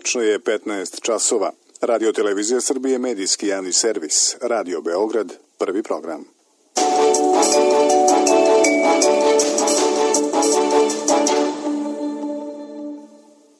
Tačno je 15 časova. Radio Televizija Srbije, medijski javni servis. Radio Beograd, prvi program.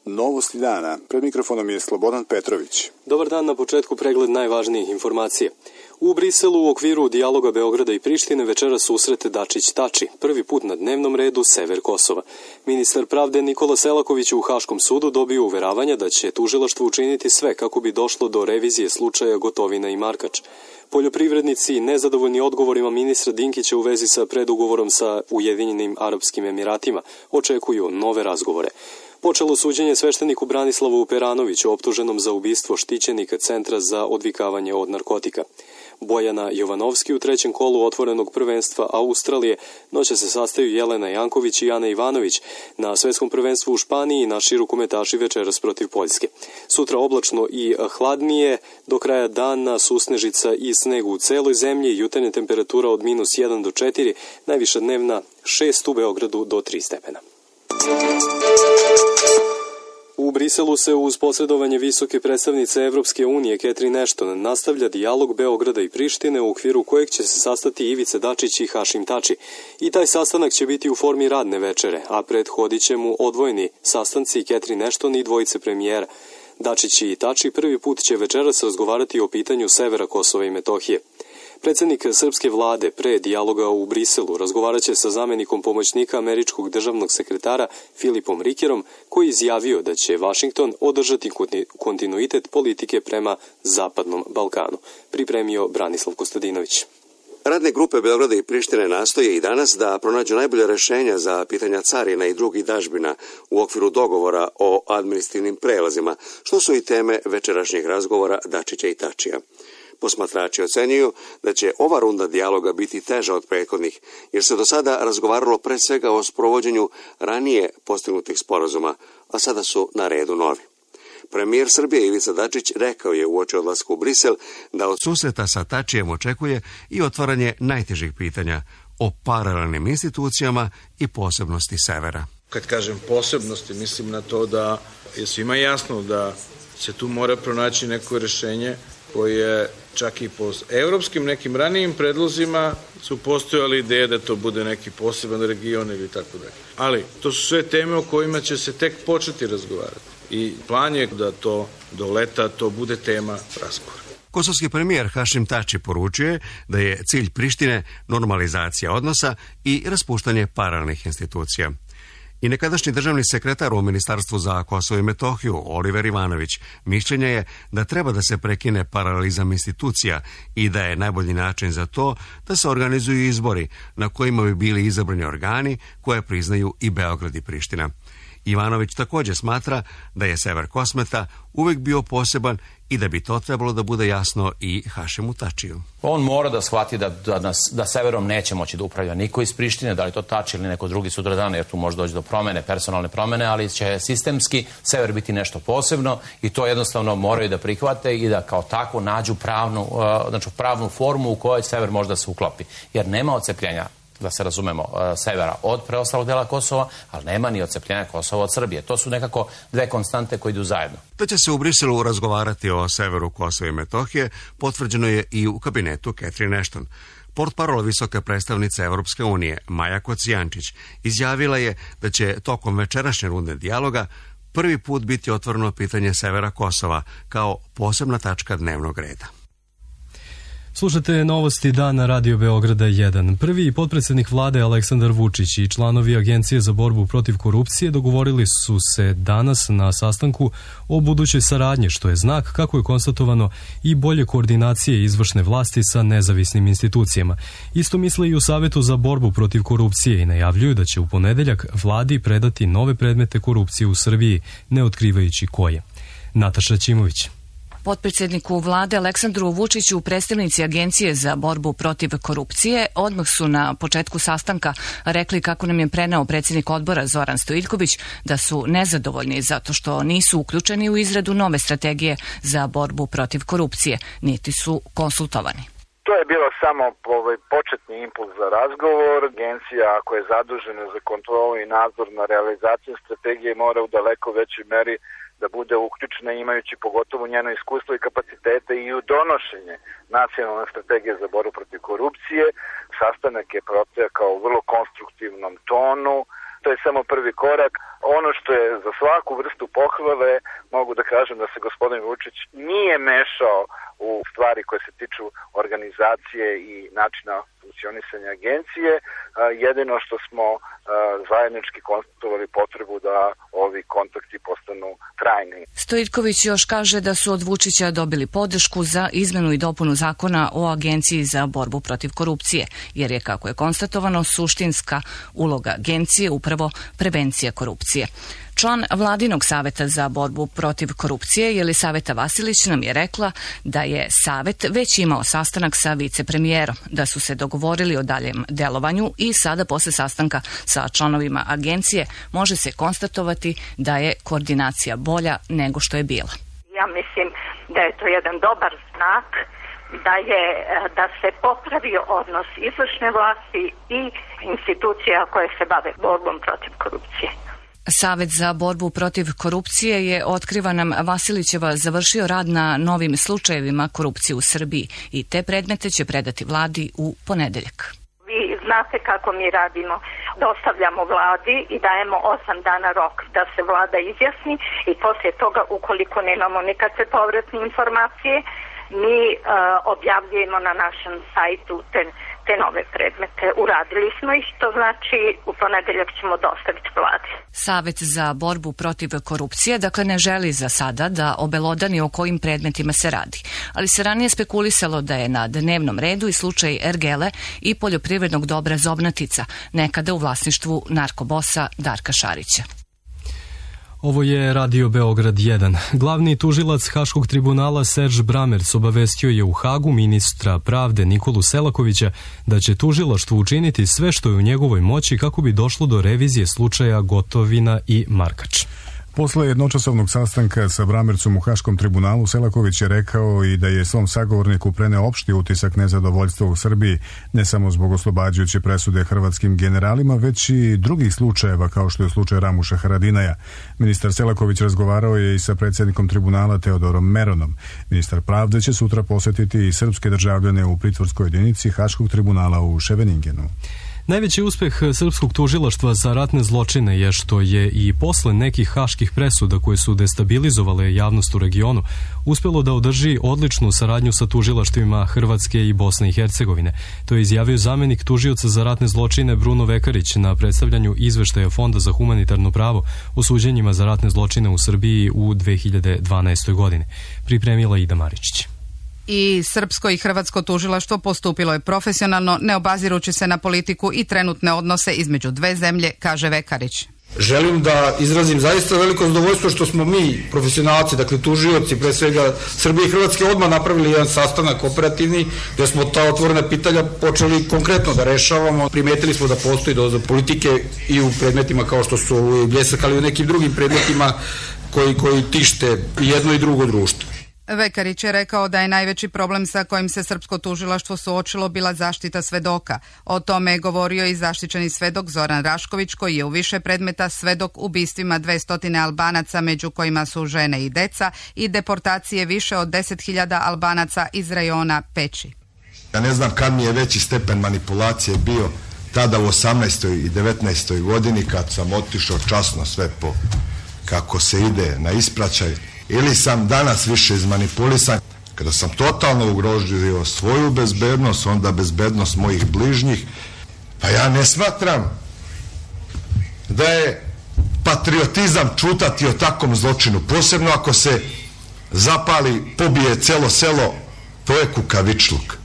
Novosti dana. Pred mikrofonom je Slobodan Petrović. Dobar dan, na početku pregled najvažnijih informacija. U Briselu u okviru dijaloga Beograda i Prištine večera susrete Dačić-Tači. Prvi put na dnevnom redu sever Kosova. Ministar pravde Nikola Selaković u Haškom sudu dobio uveravanja da će tužilaštvo učiniti sve kako bi došlo do revizije slučaja Gotovina i Markač. Poljoprivrednici nezadovoljni odgovorima ministra Dinkića u vezi sa predugovorom sa Ujedinjenim Arapskim Emiratima očekuju nove razgovore. Počelo suđenje svešteniku Branislavu Peranoviću optuženom za ubistvo štićenika Centra za odvikavanje od narkotika. Bojana Jovanovski u trećem kolu otvorenog prvenstva Australije noće se sastaju Jelena Janković i Ana Ivanović. Na svetskom prvenstvu u Španiji naši rukometaši večeras protiv Poljske. Sutra oblačno i hladnije, do kraja dana susnežica i sneg u celoj zemlji, jutarnja temperatura od -1 do 4, najviša dnevna 6 u Beogradu do 3 stepena. U Briselu se uz posredovanje visoke predstavnice Evropske unije Catherine Ashton nastavlja dijalog Beograda i Prištine u okviru kojeg će se sastati Ivica Dačić i Hašim Tači. I taj sastanak će biti u formi radne večere, a prethodit će mu odvojeni sastanci Catherine Ashton i dvojice premijera. Dačić i Tači prvi put će večeras razgovarati o pitanju severa Kosova i Metohije. Predsjednik srpske vlade pre dijaloga u Briselu razgovarat će sa zamenikom pomoćnika američkog državnog sekretara Filipom Rikerom, koji izjavio da će Vašington održati kontinuitet politike prema Zapadnom Balkanu. Pripremio Branislav Kostadinović. Radne grupe Beograda i Prištine nastoje i danas da pronađu najbolje rešenja za pitanja carina i drugih dažbina u okviru dogovora o administrativnim prelazima, što su i teme večerašnjih razgovora Dačića i Tačija. Posmatrači ocenjuju da će ova runda dijaloga biti teža od prethodnih, jer se do sada razgovaralo pre svega o sprovođenju ranije postignutih sporazuma, a sada su na redu novi. Premijer Srbije Ivica Dačić rekao je uoči odlaska u Brisel da od susreta sa Tačijem očekuje i otvaranje najtežih pitanja o paralelnim institucijama i posebnosti severa. Kad kažem posebnosti, mislim na to da je svima jasno da se tu mora pronaći neko rešenje koje čak i po evropskim nekim ranijim predlozima su postojali ideje da to bude neki poseban region ili tako dalje. Ali to su sve teme o kojima će se tek početi razgovarati. I plan je da to do leta to bude tema razgovora. Kosovski premijer Hašim Tači poručuje da je cilj Prištine normalizacija odnosa i raspuštanje paralelnih institucija. I nekadašnji državni sekretar u Ministarstvu za Kosovo i Metohiju, Oliver Ivanović, mišljenja je da treba da se prekine paralelizam institucija i da je najbolji način za to da se organizuju izbori na kojima bi bili izabrani organi koje priznaju i Beograd i Priština. Ivanović također smatra da je sever Kosmeta uvijek bio poseban i da bi to trebalo da bude jasno i Hašimu Tačiju. On mora da shvati da severom neće moći da upravlja niko iz Prištine, da li to Tači ili neko drugi sutradan, jer tu može doći do promene, personalne promene, ali će sistemski sever biti nešto posebno i to jednostavno moraju da prihvate i da kao tako nađu pravnu formu u kojoj sever može da se uklopi. Jer nema odcepljenja, da se razumemo, severa od preostalog dela Kosova, ali nema ni odcepljenja Kosova od Srbije. To su nekako dve konstante koje idu zajedno. Da će se u Briselu razgovarati o severu Kosova i Metohije, potvrđeno je i u kabinetu Catherine Ashton. Portparol visoke predstavnice Evropske unije, Maja Kocijančić, izjavila je da će tokom večerašnje runde dijaloga prvi put biti otvoreno pitanje severa Kosova kao posebna tačka dnevnog reda. Slušate novosti dana Radio Beograda 1. Prvi potpredsjednik vlade Aleksandar Vučić i članovi Agencije za borbu protiv korupcije dogovorili su se danas na sastanku o budućoj saradnji, što je znak, kako je konstatovano, i bolje koordinacije izvršne vlasti sa nezavisnim institucijama. Isto misle i u Savetu za borbu protiv korupcije i najavljuju da će u ponedeljak vladi predati nove predmete korupcije u Srbiji, ne otkrivajući koje. Nataša Ćimović. Potpredsjedniku vlade Aleksandru Vučiću predstavnici Agencije za borbu protiv korupcije odmah su na početku sastanka rekli, kako nam je preneo predsjednik odbora Zoran Stojiljković, da su nezadovoljni zato što nisu uključeni u izradu nove strategije za borbu protiv korupcije, niti su konsultovani. To je bilo samo početni impuls za razgovor. Agencija, ako je zadužena za kontrolu i nadzor na realizaciju strategije, mora u daleko većoj meri da bude uključena, imajući pogotovo njeno iskustvo i kapacitete i u donošenje nacionalne strategije za borbu protiv korupcije. Sastanak je protekao u vrlo konstruktivnom tonu. To je samo prvi korak. Ono što je za svaku vrstu pohvale, mogu da kažem da se gospodin Vučić nije mešao u stvari koje se tiču organizacije i načina funkcionisanja agencije. Jedino što smo zajednički konstatovali potrebu da ovi kontakti postanu trajni. Stojiljković još kaže da su od Vučića dobili podršku za izmenu i dopunu zakona o Agenciji za borbu protiv korupcije, jer je, kako je konstatovano, suštinska uloga agencije upravo prevencija korupcije. Član Vladinog saveta za borbu protiv korupcije, Jelisaveta Vasilić, nam je rekla da je savet već imao sastanak sa vicepremijerom, da su se dogovorili o daljem delovanju i sada posle sastanka sa članovima agencije može se konstatovati da je koordinacija bolja nego što je bila. Ja mislim da je to jedan dobar znak da se popravio odnos izvršne vlasti i institucija koje se bave borbom protiv korupcije. Savet za borbu protiv korupcije je, otkriva nam Vasilićeva, završio rad na novim slučajevima korupcije u Srbiji i te predmete će predati vladi u ponedeljak. Vi znate kako mi radimo. Dostavljamo vladi i dajemo 8 dana rok da se vlada izjasni i poslije toga, ukoliko nemamo nikakve povratne informacije, mi objavljujemo na našem sajtu te nove predmete. Uradili smo ih, to znači u ponedeljak ćemo dostaviti vladi. Savet za borbu protiv korupcije, dakle, ne želi za sada da obelodani o kojim predmetima se radi, ali se ranije spekulisalo da je na dnevnom redu i slučaj Ergele i poljoprivrednog dobra Zobnatica, nekada u vlasništvu narkobosa Darka Šarića. Ovo je Radio Beograd 1. Glavni tužilac Haškog tribunala Serge Bramerc obavestio je u Hagu ministra pravde Nikolu Selakovića da će tužilaštvo učiniti sve što je u njegovoj moći kako bi došlo do revizije slučaja Gotovina i Markač. Posle jednočasovnog sastanka sa Bramercom u Haškom tribunalu, Selaković je rekao i da je svom sagovorniku preneo opšti utisak nezadovoljstva u Srbiji, ne samo zbog oslobađajuće presude hrvatskim generalima, već i drugih slučajeva kao što je slučaj Ramuša Haradinaja. Ministar Selaković razgovarao je i sa predsjednikom tribunala Teodorom Meronom. Ministar pravde će sutra posetiti i srpske državljane u pritvorskoj jedinici Haškog tribunala u Ševeningenu. Najveći uspeh srpskog tužilaštva za ratne zločine je što je i posle nekih haških presuda koje su destabilizovale javnost u regionu uspelo da održi odličnu saradnju sa tužilaštvima Hrvatske i Bosne i Hercegovine. To je izjavio zamenik tužioca za ratne zločine Bruno Vekarić na predstavljanju izveštaja Fonda za humanitarno pravo o suđenjima za ratne zločine u Srbiji u 2012. godini. Pripremila Ida Maričić. I srpsko i hrvatsko tužilaštvo postupilo je profesionalno, ne obazirući se na politiku i trenutne odnose između dve zemlje, kaže Vekarić. Želim da izrazim zaista veliko zadovoljstvo što smo mi, profesionalci, dakle tužioci, pre svega Srbije i Hrvatske, odmah napravili jedan sastanak operativni gdje smo ta otvorena pitanja počeli konkretno da rešavamo. Primetili smo da postoji doza politike i u predmetima kao što su Bljesak, ali i u nekim drugim predmetima koji tište jedno i drugo društvo. Vekarić je rekao da je najveći problem sa kojim se srpsko tužilaštvo suočilo bila zaštita svedoka. O tome je govorio i zaštićeni svedok Zoran Rašković, koji je u više predmeta svedok ubistvima 200 Albanaca, među kojima su žene i deca, i deportacije više od 10.000 Albanaca iz rajona Peći. Ja ne znam kad mi je veći stepen manipulacije bio, tada u 18. i 19. godini, kad sam otišao časno sve po kako se ide na ispraćaj, ili sam danas više izmanipulisan, kada sam totalno ugrožio svoju bezbednost, onda bezbednost mojih bližnjih. Pa ja ne smatram da je patriotizam čutati o takvom zločinu, posebno ako se zapali, pobije celo selo, to je kukavičluk.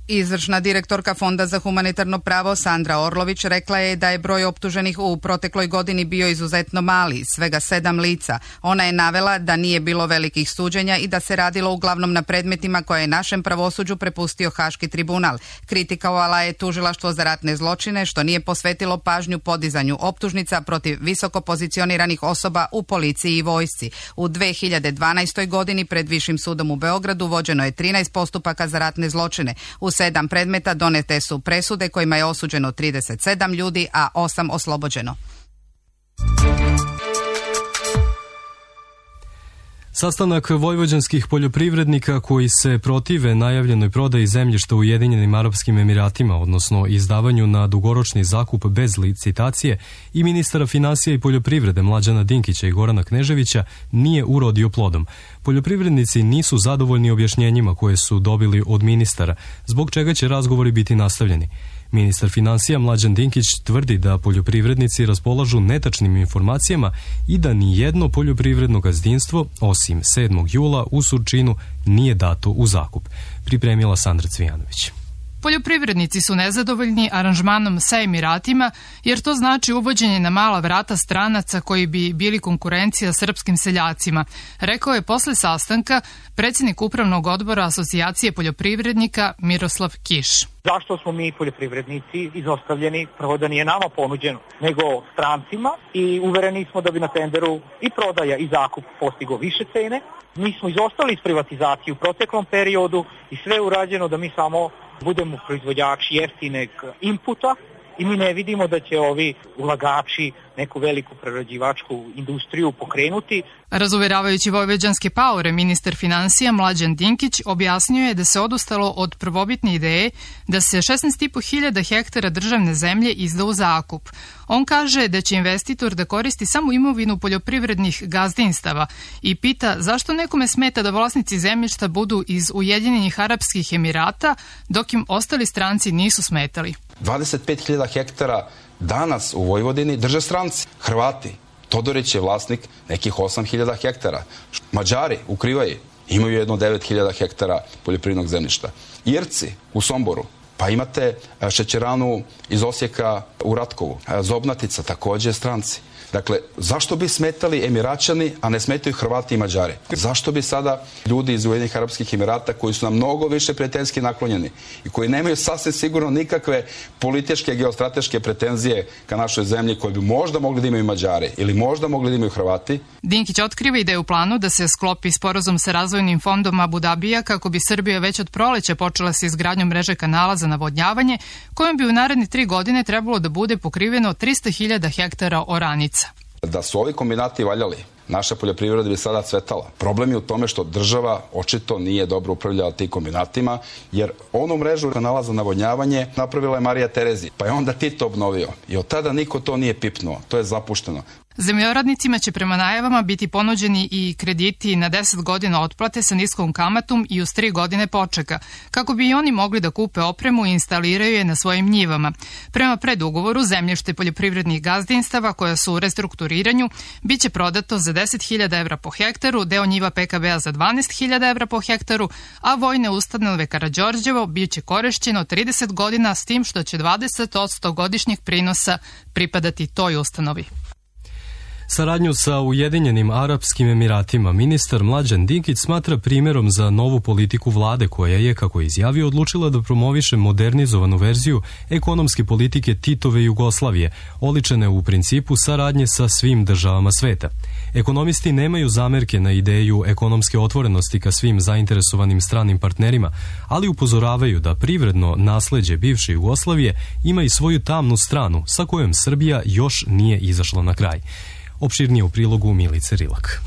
Izvršna direktorka Fonda za humanitarno pravo Sandra Orlović rekla je da je broj optuženih u protekloj godini bio izuzetno mali, svega 7 lica. Ona je navela da nije bilo velikih suđenja i da se radilo uglavnom na predmetima koje je našem pravosuđu prepustio Haški tribunal. Kritikovala je tužilaštvo za ratne zločine što nije posvetilo pažnju podizanju optužnica protiv visoko pozicioniranih osoba u policiji i vojsci. U 2012. godini pred Višim sudom u Beogradu vođeno je 13 postupaka za ratne zločine. U 7 predmeta donete su presude kojima je osuđeno 37 ljudi, a 8 oslobođeno. Sastanak vojvođanskih poljoprivrednika koji se protive najavljenoj prodaji zemljišta u Ujedinjenim Arapskim Emiratima, odnosno izdavanju na dugoročni zakup bez licitacije, i ministara finansija i poljoprivrede Mlađana Dinkića i Gorana Kneževića nije urodio plodom. Poljoprivrednici nisu zadovoljni objašnjenjima koje su dobili od ministara, zbog čega će razgovori biti nastavljeni. Ministar finansija Mlađan Dinkić tvrdi da poljoprivrednici raspolažu netačnim informacijama i da ni jedno poljoprivredno gazdinstvo, osim 7. jula u Surčinu, nije dato u zakup. Pripremila Sandra Cvijanović. Poljoprivrednici su nezadovoljni aranžmanom sa Emiratima, jer to znači uvođenje na mala vrata stranaca koji bi bili konkurencija srpskim seljacima, rekao je posle sastanka predsjednik upravnog odbora Asocijacije poljoprivrednika Miroslav Kiš. Zašto smo mi poljoprivrednici izostavljeni? Prvo da nije nama ponuđeno, nego strancima, i uvereni smo da bi na tenderu i prodaja i zakup postigo više cene. Mi smo izostali iz privatizacije u proteklom periodu i sve je urađeno da mi samo budemo proizvođači jeftinog inputa i mi ne vidimo da će ovi ulagači neku veliku prerađivačku industriju pokrenuti. Razuveravajući vojvođanske paore, ministar finansija Mlađan Dinkić objasnio je da se odustalo od prvobitne ideje da se 16.500 hektara državne zemlje izda u zakup. On kaže da će investitor da koristi samo imovinu poljoprivrednih gazdinstava i pita zašto nekome smeta da vlasnici zemljišta budu iz Ujedinjenih Arapskih Emirata, dok im ostali stranci nisu smetali. 25.000 hektara danas u Vojvodini drže stranci, Hrvati. Todorić je vlasnik nekih 8.000 hektara. Mađari u Krivaji imaju jedno 9.000 hektara poljoprivrednog zemljišta. Irci u Somboru, pa imate šećeranu iz Osijeka u Ratkovu. Zobnatica također stranci. Dakle, zašto bi smetali Emiraćani, a ne smetaju Hrvati i Mađari? Zašto bi sada ljudi iz Ujedinjenih Arapskih Emirata, koji su nam mnogo više prijateljski naklonjeni i koji nemaju sasvim sigurno nikakve političke, geostrateške pretenzije ka našoj zemlji, koje bi možda mogli da imaju Mađari ili možda mogli da imaju Hrvati? Dinkić otkriva i da je u planu da se sklopi sporazum sa razvojnim fondom Abu Dabija kako bi Srbija već od proleća počela sa izgradnjom mreže kanala za navodnjavanje, kojom bi u naredne 3 godine trebalo da bude pokriveno 300.000 hektara oranica. Da su ovi kombinati valjali, naša poljoprivreda bi sada cvetala. Problem je u tome što država očito nije dobro upravljala tim kombinatima, jer onu mrežu kanala za navodnjavanje napravila je Marija Terezija, pa je onda Tito obnovio. I od tada niko to nije pipnuo, to je zapušteno. Zemljoradnicima će prema najavama biti ponuđeni i krediti na 10 godina otplate sa niskom kamatom i uz 3 godine počeka, kako bi i oni mogli da kupe opremu i instaliraju je na svojim njivama. Prema predugovoru, zemljište poljoprivrednih gazdinstava koja su u restrukturiranju biće prodato za 10.000 evra po hektaru, deo njiva PKB-a za 12.000 evra po hektaru, a vojne ustanove Karađorđevo biće korišćeno 30 godina, s tim što će 20% godišnjeg prinosa pripadati toj ustanovi. Saradnju sa Ujedinjenim Arapskim Emiratima ministar Mlađan Dinkić smatra primjerom za novu politiku vlade koja je, kako je izjavio, odlučila da promoviše modernizovanu verziju ekonomske politike Titove Jugoslavije, oličene u principu saradnje sa svim državama sveta. Ekonomisti nemaju zamerke na ideju ekonomske otvorenosti ka svim zainteresovanim stranim partnerima, ali upozoravaju da privredno nasleđe bivše Jugoslavije ima i svoju tamnu stranu sa kojom Srbija još nije izašla na kraj. Opširnije u prilogu Milice Rilak.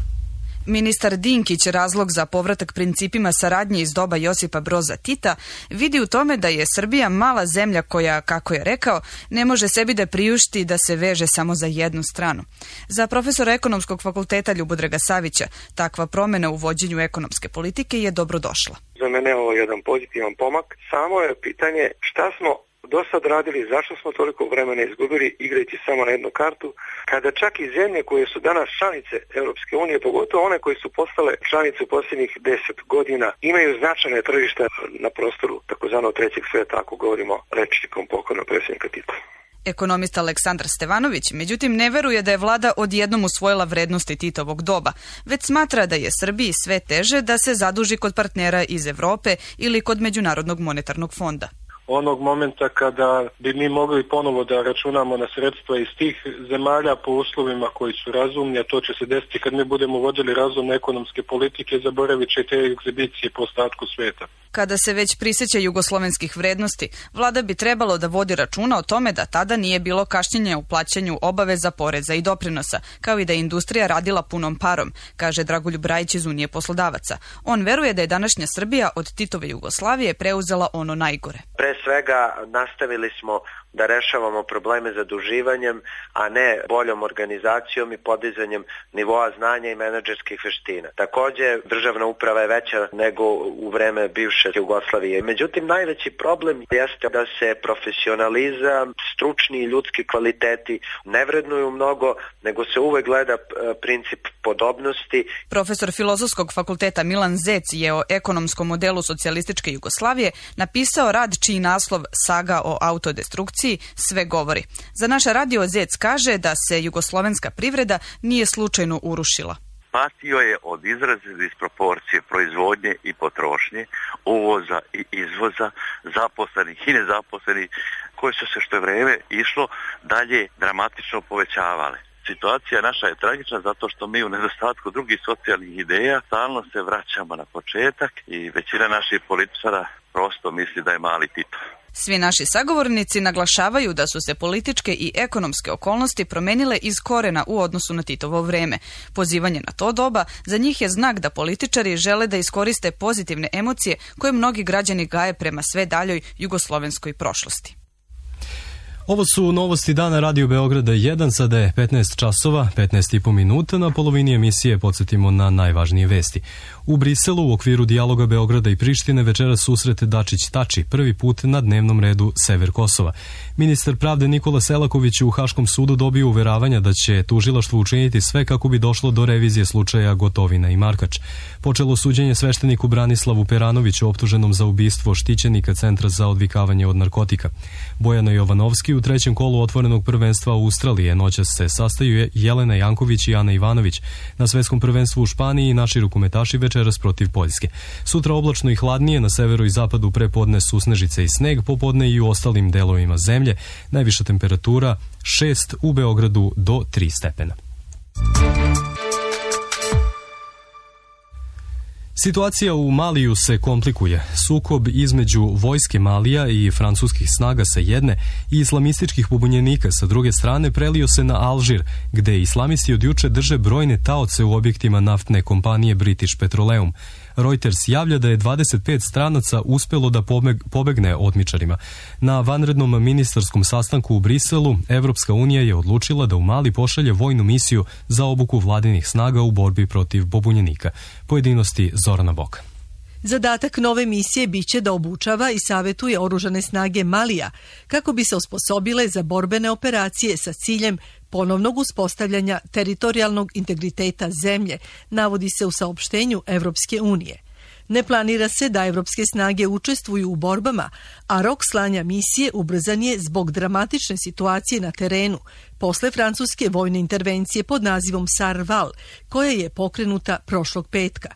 Ministar Dinkić razlog za povratak principima saradnje iz doba Josipa Broza Tita vidi u tome da je Srbija mala zemlja koja, kako je rekao, ne može sebi da priušti da se veže samo za jednu stranu. Za profesora Ekonomskog fakulteta Ljubodraga Savića, takva promjena u vođenju ekonomske politike je dobro došla. Za mene je ovo jedan pozitivan pomak. Samo je pitanje šta smo do sad radili, zašto smo toliko vremena izgubili igrajući samo na jednu kartu, kada čak i zemlje koje su danas članice Europske unije, pogotovo one koje su postale članice u posljednjih 10 godina, imaju značajne tržišta na prostoru takozvanog trećeg sveta, ako govorimo rečnikom pokojnog predsjednika Tita. Ekonomista Aleksandar Stevanović, međutim, ne veruje da je vlada odjednom usvojila vrednosti Titovog doba, već smatra da je Srbiji sve teže da se zaduži kod partnera iz Evrope ili kod Međunarodnog monetarnog fonda. Onog momenta kada bi mi mogli ponovo da računamo na sredstva iz tih zemalja po uslovima koji su razumni, a to će se desiti kad mi budemo vodili razumne ekonomske politike, zaboravit će te egzibicije po ostatku sveta. Kada se već prisjeća jugoslovenskih vrednosti, vlada bi trebalo da vodi računa o tome da tada nije bilo kašnjenja u plaćanju obaveza, poreza i doprinosa, kao i da je industrija radila punom parom, kaže Dragoljub Rajić iz Unije poslodavaca. On veruje da je današnja Srbija od Titove Jugoslavije preuzela ono najgore. Pre svega nastavili smo da rešavamo probleme zaduživanjem, a ne boljom organizacijom i podizanjem nivoa znanja i menadžerskih veština. Takođe, državna uprava je veća nego u vreme bivše Jugoslavije. Međutim, najveći problem jeste da se profesionalizam, stručni i ljudski kvaliteti ne vrednuju mnogo, nego se uvek gleda princip podobnosti. Profesor Filozofskog fakulteta Milan Zec je o ekonomskom modelu socijalističke Jugoslavije napisao rad čiji naslov Saga o autodestrukciji sve govori. Za naš radio Zec kaže da se jugoslovenska privreda nije slučajno urušila. Patio je od izrazne disproporcije proizvodnje i potrošnje, uvoza i izvoza, zaposlenih i nezaposlenih, koje su se što je vreme išlo dalje dramatično povećavale. Situacija naša je tragična zato što mi u nedostatku drugih socijalnih ideja stalno se vraćamo na početak i većina naših političara prosto misli da je mali Tito. Svi naši sagovornici naglašavaju da su se političke i ekonomske okolnosti promenile iz korena u odnosu na Titovo vreme. Pozivanje na to doba za njih je znak da političari žele da iskoriste pozitivne emocije koje mnogi građani gaje prema sve daljoj jugoslovenskoj prošlosti. Ovo su novosti dana Radio Beograda 1, sada je 15 časova, 15,5 minuta, na polovini emisije podsjetimo na najvažnije vesti. U Briselu u okviru dijaloga Beograda i Prištine večeras susret Dačić-Tači, prvi put na dnevnom redu sever Kosova. Ministar pravde Nikola Selaković u Haškom sudu dobio uveravanja da će tužilaštvo učiniti sve kako bi došlo do revizije slučaja Gotovina i Markač. Počelo suđenje svešteniku Branislavu Peranoviću optuženom za ubistvo štićenika Centra za odvikavanje od narkotika. Bojana Jovanovski u trećem kolu otvorenog prvenstva Australije noćas se sastaju Jelena Janković i Ana Ivanović. Na svetskom prvenstvu u Španiji naši rukometaši večeras protiv Poljske. Sutra oblačno i hladnije, na severu i zapadu prepodne susnežice i sneg, popodne i u ostalim delovima zemlje. Najviša temperatura 6, u Beogradu do 3 stepena. Situacija u Maliju se komplikuje. Sukob između vojske Malija i francuskih snaga sa jedne i islamističkih pobunjenika sa druge strane prelio se na Alžir, gde islamisti od juče drže brojne taoce u objektima naftne kompanije British Petroleum. Reuters javlja da je 25 stranaca uspelo da pobegne otmičarima. Na vanrednom ministarskom sastanku u Briselu, Evropska unija je odlučila da u Mali pošalje vojnu misiju za obuku vladinih snaga u borbi protiv pobunjenika. Pojedinosti Zorana Boka. Zadatak nove misije biće da obučava i savjetuje oružane snage Malija kako bi se osposobile za borbene operacije sa ciljem ponovnog uspostavljanja teritorijalnog integriteta zemlje, navodi se u saopštenju Evropske unije. Ne planira se da evropske snage učestvuju u borbama, a rok slanja misije ubrzan je zbog dramatične situacije na terenu, posle francuske vojne intervencije pod nazivom Sarval, koja je pokrenuta prošlog petka.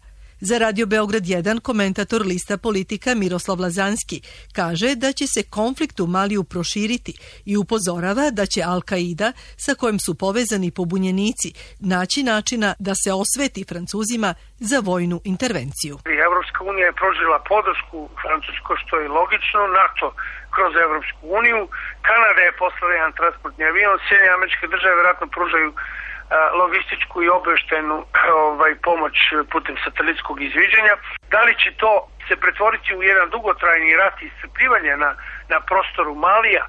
Za Radio Beograd 1 komentator lista Politika Miroslav Lazanski kaže da će se konflikt u Maliju proširiti i upozorava da će Al-Qaida, sa kojim su povezani pobunjenici, naći načina da se osveti Francuzima za vojnu intervenciju. Evropska unija je pružila podršku Francuskoj, što je logično, NATO kroz Evropsku uniju, Kanada je poslala jedan transportni avion, Sjedinjene Američke Države vjerojatno pružaju logističku i obeštenu pomoć putem satelitskog izviđanja. Da li će to se pretvoriti u jedan dugotrajni rat i iscrpljivanje na prostoru Malija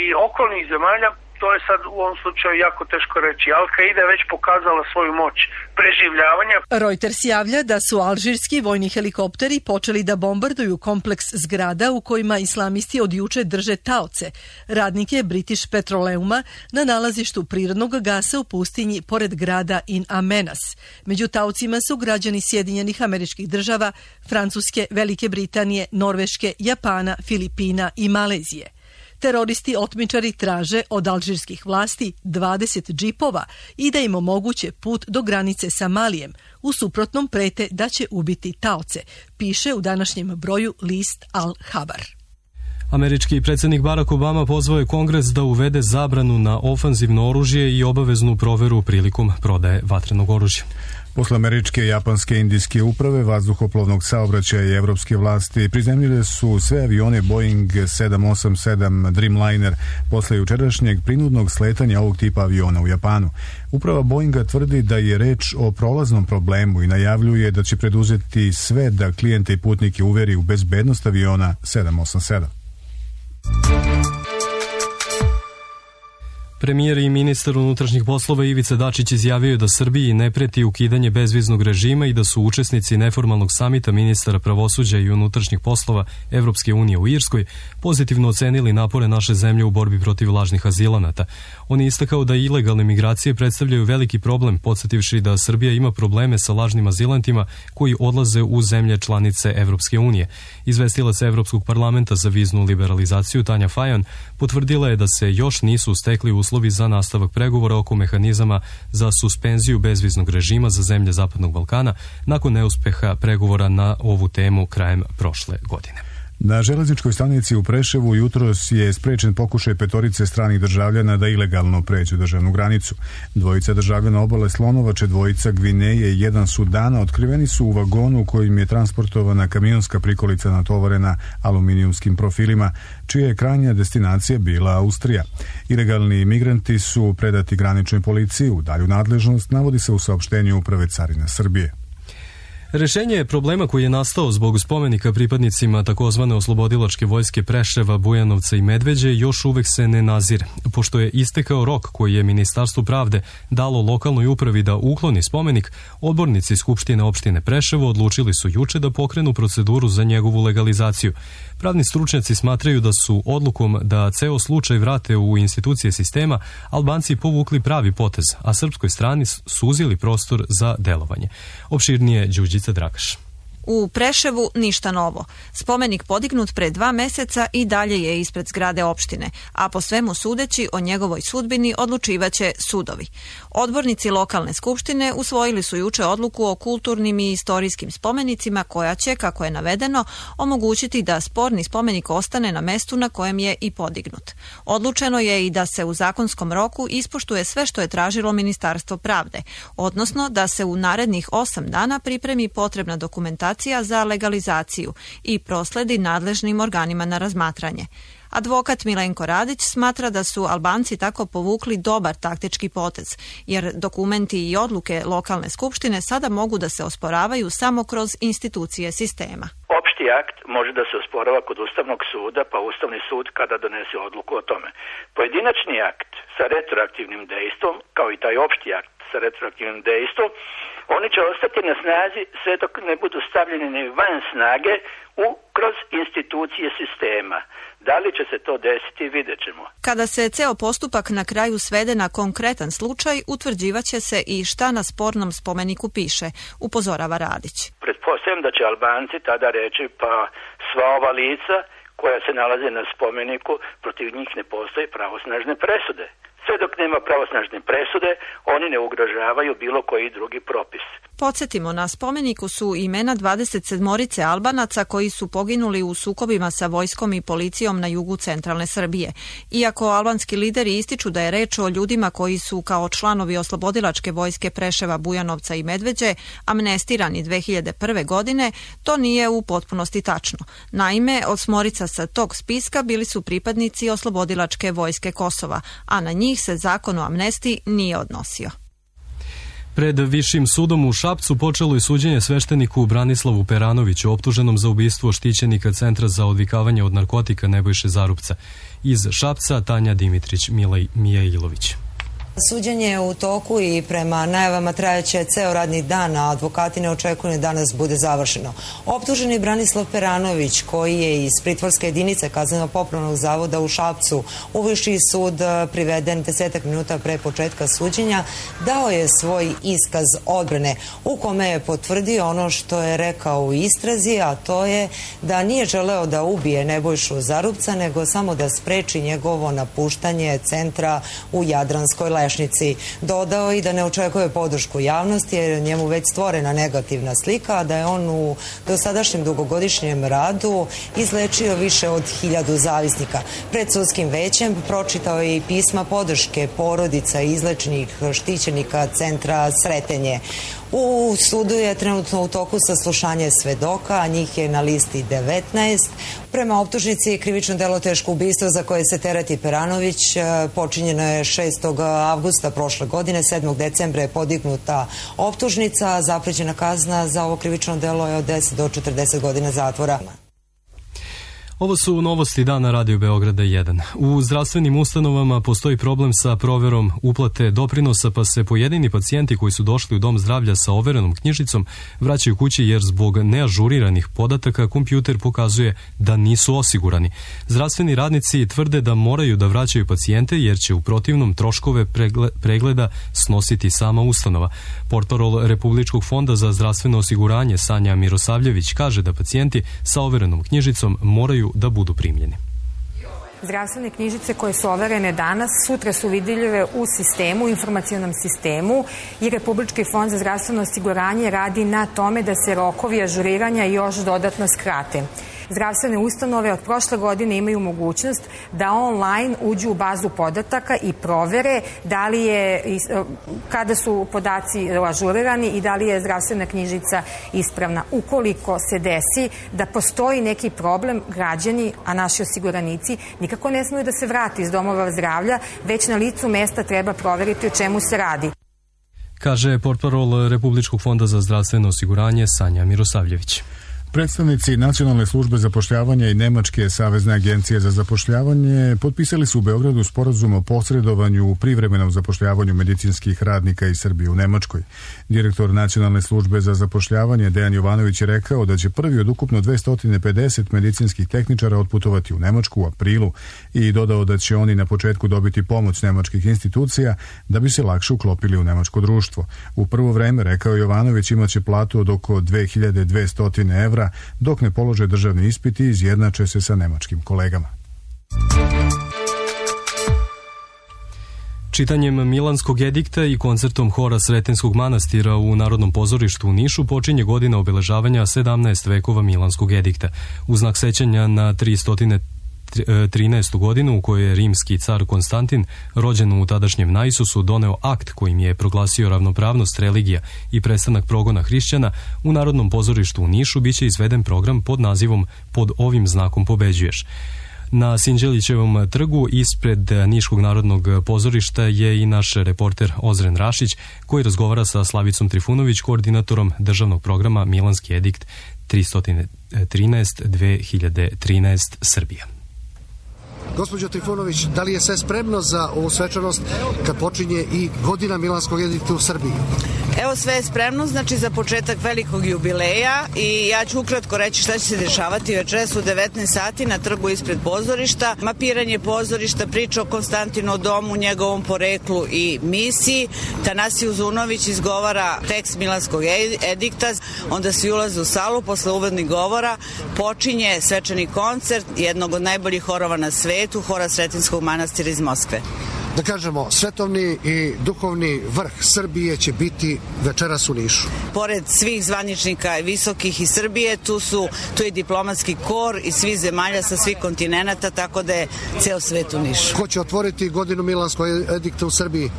i okolnih zemalja, to je sad u ovom slučaju jako teško reći. Al-Qaida je već pokazala svoju moć preživljavanja. Reuters javlja da su alžirski vojni helikopteri počeli da bombarduju kompleks zgrada u kojima islamisti od juče drže taoce, radnike British Petroleuma na nalazištu prirodnog gasa u pustinji pored grada In Amenas. Među taocima su građani Sjedinjenih Američkih Država, Francuske, Velike Britanije, Norveške, Japana, Filipina i Malezije. Teroristi otmičari traže od alžirskih vlasti 20 džipova i da im omoguće put do granice sa Malijem. U suprotnom prete da će ubiti taoce, piše u današnjem broju list Al-Habar. Američki predsjednik Barack Obama pozvao je Kongres da uvede zabranu na ofanzivno oružje i obaveznu proveru prilikom prodaje vatrenog oružja. Posle američke, japanske, indijske uprave vazduhoplovnog saobraćaja i evropske vlasti prizemljile su sve avione Boeing 787 Dreamliner posle jučerašnjeg prinudnog sletanja ovog tipa aviona u Japanu. Uprava Boeinga tvrdi da je reč o prolaznom problemu i najavljuje da će preduzeti sve da klijente i putnike uveri u bezbednost aviona 787. Premijer i ministar unutrašnjih poslova Ivica Dačić izjavio da Srbiji ne preti ukidanje bezviznog režima i da su učesnici neformalnog samita ministara pravosuđa i unutrašnjih poslova Evropske unije u Irskoj pozitivno ocenili napore naše zemlje u borbi protiv lažnih azilanata. On je istakao da ilegalne migracije predstavljaju veliki problem, podsjetivši da Srbija ima probleme sa lažnim azilantima koji odlaze u zemlje članice Evropske unije. Izvestilac Evropskog parlamenta za viznu liberalizaciju Tanja Fajon potvrdila je da se još nisu stekli uslovi za nastavak pregovora oko mehanizama za suspenziju bezviznog režima za zemlje Zapadnog Balkana nakon neuspeha pregovora na ovu temu krajem prošle godine. Na železničkoj stanici u Preševu jutros je sprečen pokušaj 5 stranih državljana da ilegalno pređu državnu granicu. 2 državljana obale Slonovače, 2 Gvineje i 1 Sudana otkriveni su u vagonu u kojim je transportovana kamionska prikolica natovarena aluminijumskim profilima, čija je krajnja destinacija bila Austrija. Ilegalni migranti su predati graničnoj policiji. U dalju nadležnost navodi se u saopštenju Uprave carina Srbije. Rešenje problema koji je nastao zbog spomenika pripadnicima takozvane oslobodilačke vojske Preševa, Bujanovca i Medveđe još uvek se ne nazire. Pošto je istekao rok koji je Ministarstvo pravde dalo lokalnoj upravi da ukloni spomenik, odbornici Skupštine opštine Preševo odlučili su juče da pokrenu proceduru za njegovu legalizaciju. Pravni stručnjaci smatraju da su odlukom da ceo slučaj vrate u institucije sistema Albanci povukli pravi potez, a srpskoj strani suzili prostor za delovanje. Opširnije Đuđica Dragaš. U Preševu ništa novo. Spomenik podignut pre 2 meseca i dalje je ispred zgrade opštine, a po svemu sudeći o njegovoj sudbini odlučivaće sudovi. Odbornici lokalne skupštine usvojili su juče odluku o kulturnim i istorijskim spomenicima koja će, kako je navedeno, omogućiti da sporni spomenik ostane na mestu na kojem je i podignut. Odlučeno je i da se u zakonskom roku ispoštuje sve što je tražilo Ministarstvo pravde, odnosno da se u narednih 8 dana pripremi potrebna dokumentacija za legalizaciju i prosledi nadležnim organima na razmatranje. Advokat Milenko Radić smatra da su Albanci tako povukli dobar taktički potez, jer dokumenti i odluke lokalne skupštine sada mogu da se osporavaju samo kroz institucije sistema. Opšti akt može da se osporava kod Ustavnog suda, pa Ustavni sud kada donese odluku o tome. Pojedinačni akt sa retroaktivnim dejstvom, kao i taj opšti akt sa retroaktivnim dejstvom, oni će ostati na snazi sve dok ne budu stavljeni ni van snage kroz institucije sistema. Da li će se to desiti, vidjet ćemo. Kada se ceo postupak na kraju svede na konkretan slučaj, utvrđivaće se i šta na spornom spomeniku piše, upozorava Radić. Pretpostavljam da će Albanci tada reći pa sva ova lica koja se nalaze na spomeniku, protiv njih ne postoje pravosnažne presude. Sve dok nema pravosnažne presude, oni ne ugrožavaju bilo koji drugi propis. Podsjetimo, na spomeniku su imena 27 Albanaca koji su poginuli u sukobima sa vojskom i policijom na jugu centralne Srbije. Iako albanski lideri ističu da je reč o ljudima koji su kao članovi oslobodilačke vojske Preševa, Bujanovca i Medveđe amnestirani 2001. godine, to nije u potpunosti tačno. Naime, 8 sa tog spiska bili su pripadnici oslobodilačke vojske Kosova, a na njih se zakon o amnestiji nije odnosio. Pred Višim sudom u Šapcu počelo je suđenje svešteniku Branislavu Peranoviću, optuženom za ubistvo štićenika Centra za odvikavanje od narkotika Nebojše Zarupca. Iz Šapca Tanja Dimitrić, Mijailović. Suđenje je u toku i prema najavama trajaće ceo radni dan, a advokati ne očekuju da danas bude završeno. Optuženi Branislav Peranović, koji je iz pritvorske jedinice Kazneno-popravnog zavoda u Šapcu u Viši sud priveden 10 minuta pre početka suđenja, dao je svoj iskaz odbrane u kome je potvrdio ono što je rekao u istrazi, a to je da nije želeo da ubije Nebojšu Zarupca, nego samo da spreči njegovo napuštanje centra u Jadranskoj Lešnici. Dodao i da ne očekuje podršku javnosti jer je njemu već stvorena negativna slika, a da je on u dosadašnjem dugogodišnjem radu izlečio više od 1000 zavisnika. Pred sudskim većem pročitao je i pisma podrške porodica izlečenih štićenika Centra Sretenje. U sudu je trenutno u toku saslušanje svedoka, a njih je na listi 19. Prema optužnici krivično delo teško ubistvo za koje se tereti Peranović počinjeno je 6. avgusta prošle godine, 7. decembra je podignuta optužnica, a zaprećena kazna za ovo krivično delo je od 10 do 40 godina zatvora. Ovo su novosti dana Radio Beograda 1. U zdravstvenim ustanovama postoji problem sa proverom uplate doprinosa, pa se pojedini pacijenti koji su došli u dom zdravlja sa overenom knjižicom vraćaju kući jer zbog neažuriranih podataka kompjuter pokazuje da nisu osigurani. Zdravstveni radnici tvrde da moraju da vraćaju pacijente jer će u protivnom troškove pregleda snositi sama ustanova. Portparol Republičkog fonda za zdravstveno osiguranje Sanja Mirosavljević kaže da pacijenti sa overenom knjižicom moraju da budu primljeni. Zdravstvene knjižice koje su overene danas, sutra su vidljive u sistemu, informacionom sistemu i Republički fond za zdravstveno osiguranje radi na tome da se rokovi ažuriranja još dodatno skrate. Zdravstvene ustanove od prošle godine imaju mogućnost da online uđu u bazu podataka i provere da li je, kada su podaci ažurirani i da li je zdravstvena knjižica ispravna. Ukoliko se desi da postoji neki problem, građani, a naši osiguranici, nikako ne smiju da se vrati iz domova zdravlja, već na licu mesta treba proveriti o čemu se radi. Kaže portparol Republičkog fonda za zdravstveno osiguranje Sanja Mirosavljević. Predstavnici Nacionalne službe zapošljavanja i Nemačke savezne agencije za zapošljavanje potpisali su u Beogradu sporazum o posredovanju u privremenom zapošljavanju medicinskih radnika iz Srbije u Nemačkoj. Direktor Nacionalne službe za zapošljavanje Dejan Jovanović je rekao da će prvi od ukupno 250 medicinskih tehničara otputovati u Nemačku u aprilu i dodao da će oni na početku dobiti pomoć nemačkih institucija da bi se lakše uklopili u nemačko društvo. U prvo vreme, rekao Jovanović, imaće platu od oko 2200 evra, dok ne polože državni ispit i izjednače se sa nemačkim kolegama. Čitanjem Milanskog edikta i koncertom hora Sretenskog manastira u Narodnom pozorištu u Nišu počinje godina obeležavanja 17 vekova Milanskog edikta. U znak sećanja na 313. godinu u kojoj je rimski car Konstantin, rođen u tadašnjem Naisusu, doneo akt kojim je proglasio ravnopravnost religija i prestanak progona hrišćana, u Narodnom pozorištu u Nišu biće izveden program pod nazivom Pod ovim znakom pobeđuješ. Na Sinđelićevom trgu ispred Niškog narodnog pozorišta je i naš reporter Ozren Rašić, koji razgovara sa Slavicom Trifunović, koordinatorom državnog programa Milanski edikt 313-2013 Srbija. Gospođo Trifunović, da li je sve spremno za ovu svečanost kad počinje i godina Milanskog edikta u Srbiji? Evo, sve je spremno, znači za početak velikog jubileja, i ja ću ukratko reći šta će se dešavati večeras u 19 sati na trgu ispred pozorišta. Mapiranje pozorišta, priča o Konstantinu domu, njegovom poreklu i misiji. Tanasije Uzunović izgovara tekst Milanskog edikta, onda svi ulaze u salu, posle uvodnih govora počinje svečani koncert jednog od najboljih horova na svetu, hora Sretenskog manastira iz Moskve. Da kažemo, svetovni i duhovni vrh Srbije će biti večeras u Nišu. Pored svih zvaničnika visokih iz Srbije, tu je diplomatski kor iz svih zemalja sa svih kontinenata, tako da je ceo svet u Nišu. Ko će otvoriti godinu Milanskog edikta u Srbiji?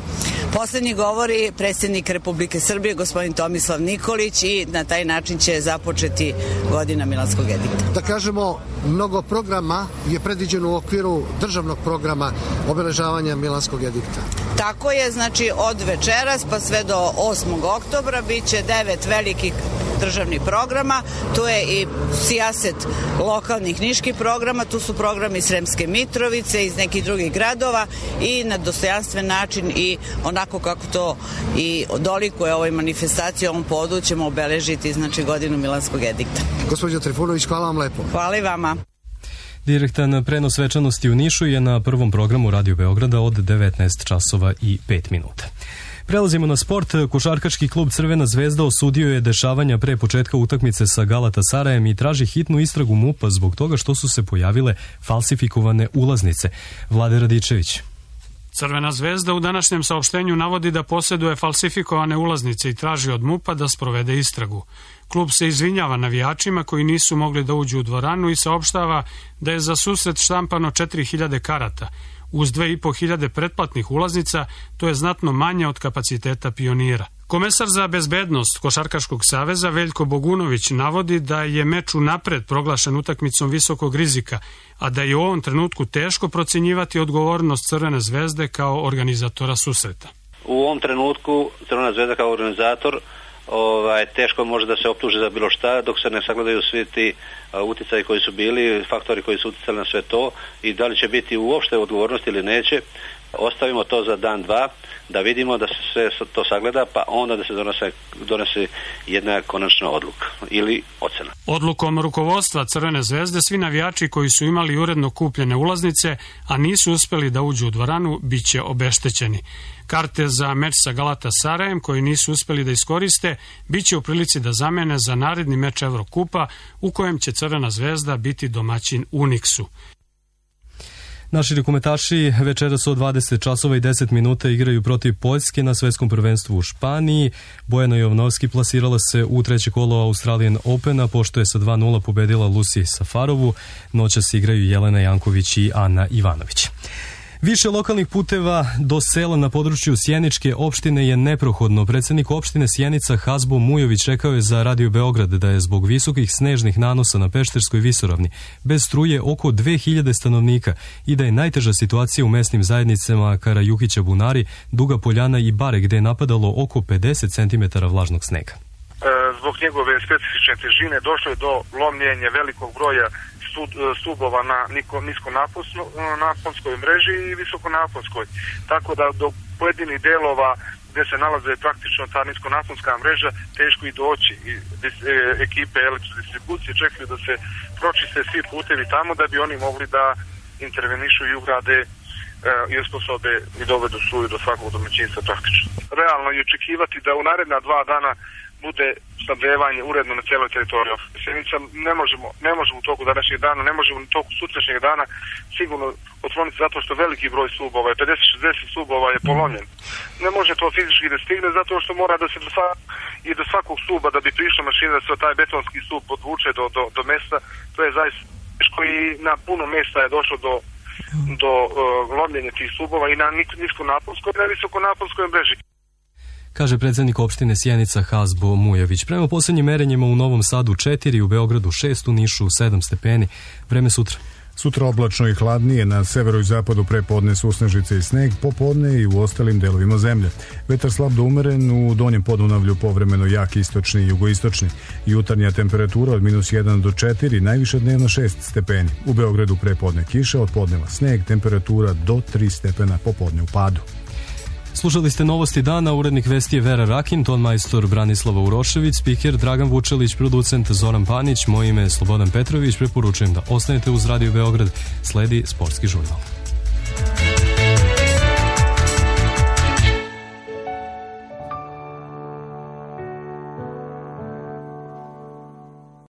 Poslednji govori predsjednik Republike Srbije, gospodin Tomislav Nikolić, i na taj način će započeti godina Milanskog edikta. Da kažemo, mnogo programa je predviđeno u okviru državnog programa obeležavanja Milanskog edikta. Tako je, znači od večeras pa sve do 8. oktobra biće 9 velikih državnih programa, tu je i sijaset lokalnih niških programa, tu su programi Sremske Mitrovice, iz nekih drugih gradova i na dostojanstven način i onako kako to i dolikuje ovoj manifestaciji, ovom podu ćemo obeležiti znači godinu Milanskog edikta. Gospođo Trifunović, hvala vam lepo. Hvala i vama. Direktan prenos svečanosti u Nišu je na prvom programu Radio Beograda od 19 časova i 5 minuta. Prelazimo na sport. Košarkaški klub Crvena zvezda osudio je dešavanja pre početka utakmice sa Galatasarajem i traži hitnu istragu MUP-a zbog toga što su se pojavile falsifikovane ulaznice. Vlade Radičević. Crvena zvezda u današnjem saopštenju navodi da posjeduje falsifikovane ulaznice i traži od MUP-a da sprovede istragu. Klub se izvinjava navijačima koji nisu mogli da uđu u dvoranu i saopštava da je za susret štampano 4000 karata. Uz 2500 pretplatnih ulaznica, to je znatno manje od kapaciteta Pionira. Komesar za bezbednost Košarkaškog saveza Veljko Bogunović navodi da je meč unapred proglašen utakmicom visokog rizika, a da je u ovom trenutku teško procjenjivati odgovornost Crvene zvezde kao organizatora susreta. U ovom trenutku Crvena zvezda kao organizator teško može da se optuži za bilo šta dok se ne sagledaju svi ti uticaji koji su bili, faktori koji su uticali na sve to i da li će biti uopšte odgovornosti ili neće. Ostavimo to za dan, dva, da vidimo da se sve to sagleda, pa onda da se donese jedna konačna odluka ili ocena. Odlukom rukovodstva Crvene zvezde svi navijači koji su imali uredno kupljene ulaznice, a nisu uspeli da uđu u dvoranu, bit će obeštećeni. Karte za meč sa Galatasarajem koji nisu uspeli da iskoriste, bit će u prilici da zamene za naredni meč Evrokupa u kojem će Crvena zvezda biti domaćin Uniksu. Naši rukometaši večeras od 20 časova i 10 minuta igraju protiv Poljske na svetskom prvenstvu u Španiji. Bojana Jovnovski plasirala se u treće kolo Australian Opena, pošto je sa 2-0 pobedila Lucy Safarovu. Noćas igraju Jelena Janković i Ana Ivanović. Više lokalnih puteva do sela na području Sjeničke opštine je neprohodno. Predsjednik opštine Sjenica Hazbo Mujović rekao je za Radio Beograd da je zbog visokih snežnih nanosa na Pešterskoj visoravni bez struje oko 2000 stanovnika i da je najteža situacija u mesnim zajednicama Karajukića Bunari, Duga Poljana i Bare gde je napadalo oko 50 cm vlažnog snega. Zbog njegove specifične težine došlo je do lomljenja velikog broja stubova na niskonaponskoj mreži i visokonaponskoj. Tako da do pojedinih delova gde se nalaze praktično ta niskonaponska mreža teško i doći. Ekipe elektrodistribucije čekaju da se pročiste svi putevi tamo da bi oni mogli da intervenišu i ugrade i osposobe i dovedu struju do svakog domaćinstva praktično. Realno je očekivati da u naredna 2 dana bude snabdevanje uredno na cijeloj teritoriji Sjenica. Ne možemo u toku današnjeg dana, ne možemo u toku sutrašnjeg dana sigurno otvoriti zato što veliki broj stubova, 50-60 stubova je polomljen. Ne može to fizički da stigne zato što mora da se do svakog stuba da bi prišla mašina da se taj betonski stub podvuče do mesta. To je zaista teško i na puno mesta je došlo do lomljenja tih stubova i na niskonaponskoj i na visokonaponskoj mreži. Kaže predsjednik opštine Sjenica Hazbo Mujović. Prema posljednjim merenjima u Novom Sadu 4, u Beogradu 6, u Nišu 7 stepeni. Vreme sutra. Sutra oblačno i hladnije, na severu i zapadu prepodne susnežice i sneg, popodne i u ostalim delovima zemlje. Vetar slab do umeren, u donjem Podunavlju povremeno jak istočni i jugoistočni. Jutarnja temperatura od -1 do 4, najviše dnevno 6 stepeni. U Beogradu prepodne kiša, od podneva sneg, temperatura do 3 stepena, popodne u padu. Slušali ste novosti dana, urednik vesti je Vera Rakin, ton majstor Branislava Urošević, spiker Dragan Vučelić, producent Zoran Panić, moje ime je Slobodan Petrović, preporučujem da ostanete uz Radio Beograd, sledi Sportski žurnal.